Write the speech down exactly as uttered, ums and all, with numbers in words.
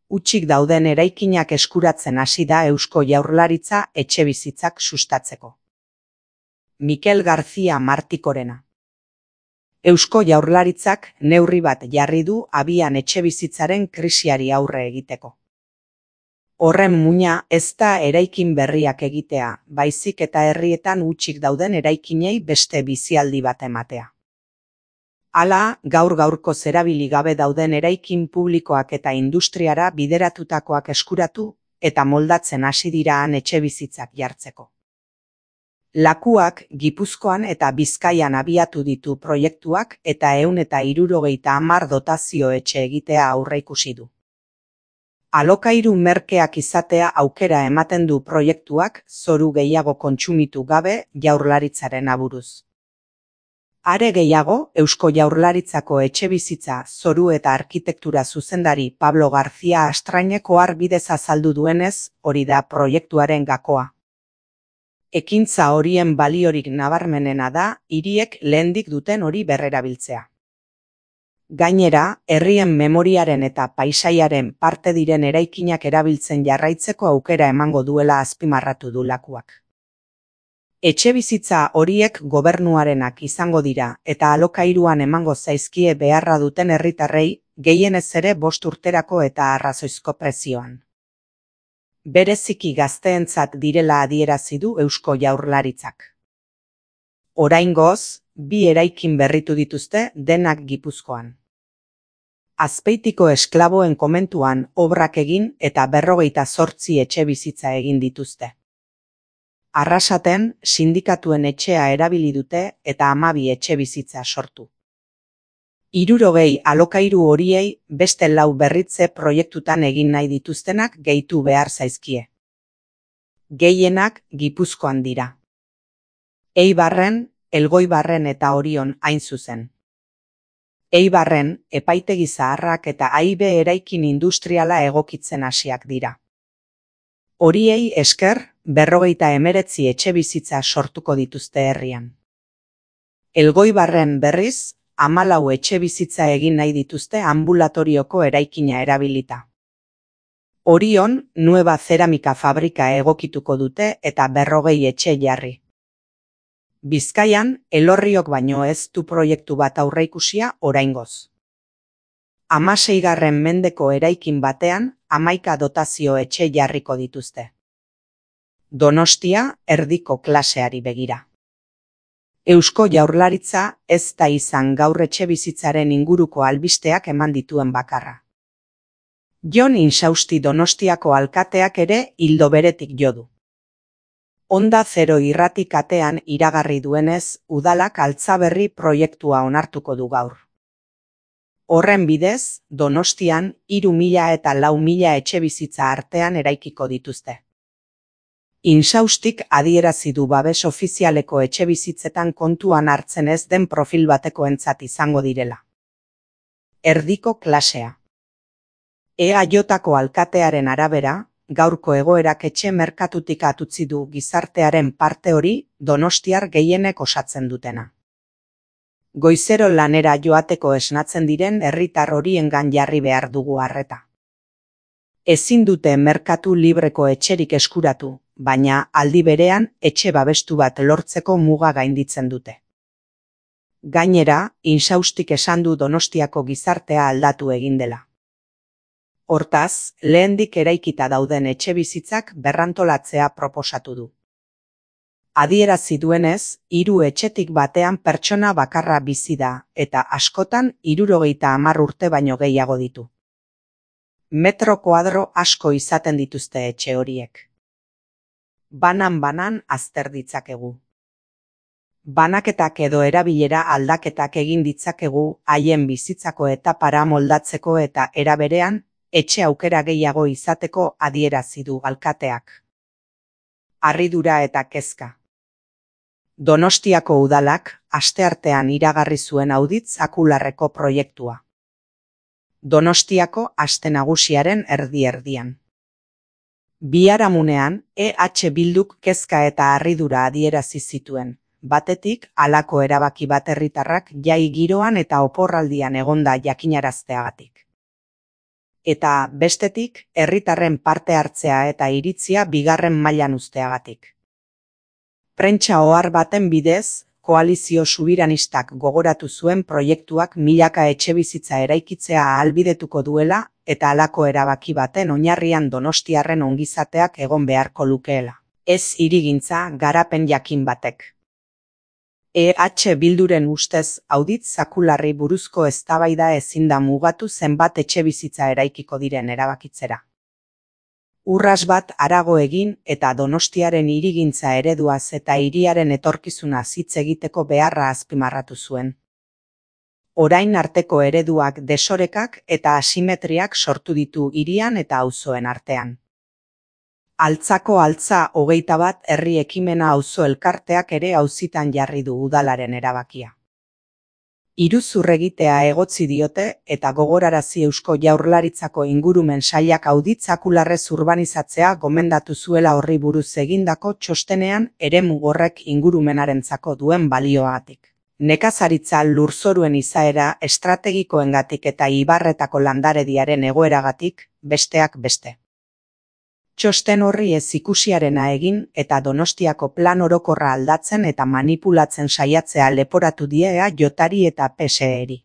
hutsik dauden eraikinak eskuratzen hasi da Eusko Jaurlaritza etxebizitzak sustatzeko. Mikel García Martikorena. Eusko Jaurlaritzak neurri bat jarri du abian etxebizitzaren krisiari aurre egiteko. Horren muina ez da eraikin berriak egitea, baizik eta herrietan hutsik dauden eraikinei beste bizialdi bat ematea. Hala, gaur gaurko erabili gabe dauden eraikin publikoak eta industriara bideratutakoak eskuratu eta moldatzen hasi dira han etxebizitzak jartzeko. Lakuak Gipuzkoan eta Bizkaian abiatu ditu proiektuak eta ehun eta hirurogeita hamar dotazio etxe egitea aurreikusi du. Alokairu merkeak izatea aukera ematen du proiektuak zoru gehiago kontsumitu gabe Jaurlaritzaren aburuz. Are gehiago, Eusko Jaurlaritzako etxebizitza, zoru eta arkitektura zuzendari Pablo García Astrainek ohar bidez azaldu duenez, hori da proiektuaren gakoa. Ekintza horien baliorik nabarmenena da, hiriek lehendik duten hori berrerabiltzea. Gainera, herrien memoriaren eta paisaiaren parte diren eraikinak erabiltzen jarraitzeko aukera emango duela azpimarratu du Lakuak. Etxebizitza horiek gobernuarenak izango dira eta alokairuan emango zaizkie beharra duten herritarrei, gehienez ere bost urterako eta arrazoizko prezioan. Bereziki gazteentzat direla adierazi du Eusko Jaurlaritzak. Oraingoz, bi eraikin berritu dituzte denak Gipuzkoan. Azpeitiko esklaboen komentuan obrak egin eta berrogeita zortzi etxebizitza egin dituzte. Arrasaten, sindikatuen etxea erabili dute eta hamabi etxebizitza sortu. Hirurogei alokairu horiei beste lau berritze proiektutan egin nahi dituztenak gehitu behar zaizkie. Gehienak Gipuzkoan dira. Eibarren, Elgoibarren eta Orion hain zuzen. Eibarren, epaitegi zaharrak eta aibe eraikin industriala egokitzen hasiak dira. Horiei esker, berrogeita hemeretzi etxebizitza sortuko dituzte herrian. Elgoibarren berriz, hamalau etxebizitza egin nahi dituzte ambulatorioko eraikina erabilita. Orion, Nueva Ceramika fabrika egokituko dute eta berrogei etxe jarri. Bizkaian, Elorriok baino ez du proiektu bat aurreikusia oraingoz. Hamaseigarren mendeko eraikin batean, hamaika dotazio etxe jarriko dituzte. Donostia, erdiko klaseari begira. Eusko Jaurlaritza ez da izan gaur etxebizitzaren inguruko albisteak eman dituen bakarra. Jon Insausti Donostiako alkateak ere ildo beretik jo du. Onda Zero irrati katean iragarri duenez, udalak Altzaberri proiektua onartuko du gaur. Horren bidez, Donostian hiru mila eta lau mila etxebizitza artean eraikiko dituzte. Insaustik adierazi du babes ofizialeko etxebizitzetan kontuan hartzen ez den profil batekoentzat izango direla. Erdiko klasea. E A Jko alkatearen arabera, gaurko egoerak etxe merkatutik atutzi du gizartearen parte hori donostiar gehienek osatzen dutena. Goizero lanera joateko esnatzen diren herritar horiengan jarri behar dugu arreta. Ezin dute merkatu libreko etxerik eskuratu, baina aldi berean etxe babestu bat lortzeko muga gainditzen dute. Gainera, Insaustik esan du Donostiako gizartea aldatu egin dela. Hortaz, lehendik eraikita dauden etxebizitzak berrantolatzea proposatu du. Adierazi duenez, hiru etxetik batean pertsona bakarra bizi da eta askotan hirurogeita hamar urte baino gehiago ditu. Metro koadro asko izaten dituzte etxe horiek. Banan-banan azter ditzakegu. Banaketak edo erabilera aldaketak egin ditzakegu haien bizitzako etapara moldatzeko eta era berean, etxe aukera gehiago izateko adierazi du alkateak. Harridura eta kezka. Donostiako udalak asteartean iragarri zuen auditz akularreko proiektua. Donostiako aste nagusiaren erdi-erdian. Biharamunean, E H Bilduk kezka eta harridura adierazi zituen, batetik halako erabaki bat herritarrak jai giroan eta oporraldian egonda jakinarazteagatik. eta bestetik, herritarren parte hartzea eta iritzia bigarren mailan uzteagatik. Prentsa ohar baten bidez, koalizio subiranistak gogoratu zuen proiektuak milaka etxebizitza eraikitzea ahalbidetuko duela eta halako erabaki baten oinarrian donostiarren ongizateak egon beharko lukeela. Ez hirigintza garapen jakin batek. E H Bilduren ustez audit zakularri buruzko eztabaida ezin da mugatu zenbat etxebizitza eraikiko diren erabakitzera. Urras bat harago egin eta Donostiaren hirigintza ereduaz eta hiriaren etorkizunaz hitz egiteko beharra azpimarratu zuen. Orain arteko ereduak desorekak eta asimetriak sortu ditu hirian eta auzoen artean. Altzako altza hogeita bat herri ekimena auzo elkarteak ere auzitan jarri du udalaren erabakia. Iruzur egitea egotzi diote eta gogorarazi Eusko Jaurlaritzako ingurumen sailak audit zakularrez urbanizatzea gomendatu zuela horri buruz egindako txostenean eremu horrek ingurumenarentzako duen balioagatik. Nekazaritza lurzoruen izaera estrategikoengatik eta ibarretako landarediaren egoeragatik, besteak beste. Txosten horri ez ikusiarena egin eta Donostiako plan orokorra aldatzen eta manipulatzen saiatzea leporatu die E A Jri eta P S E-ri.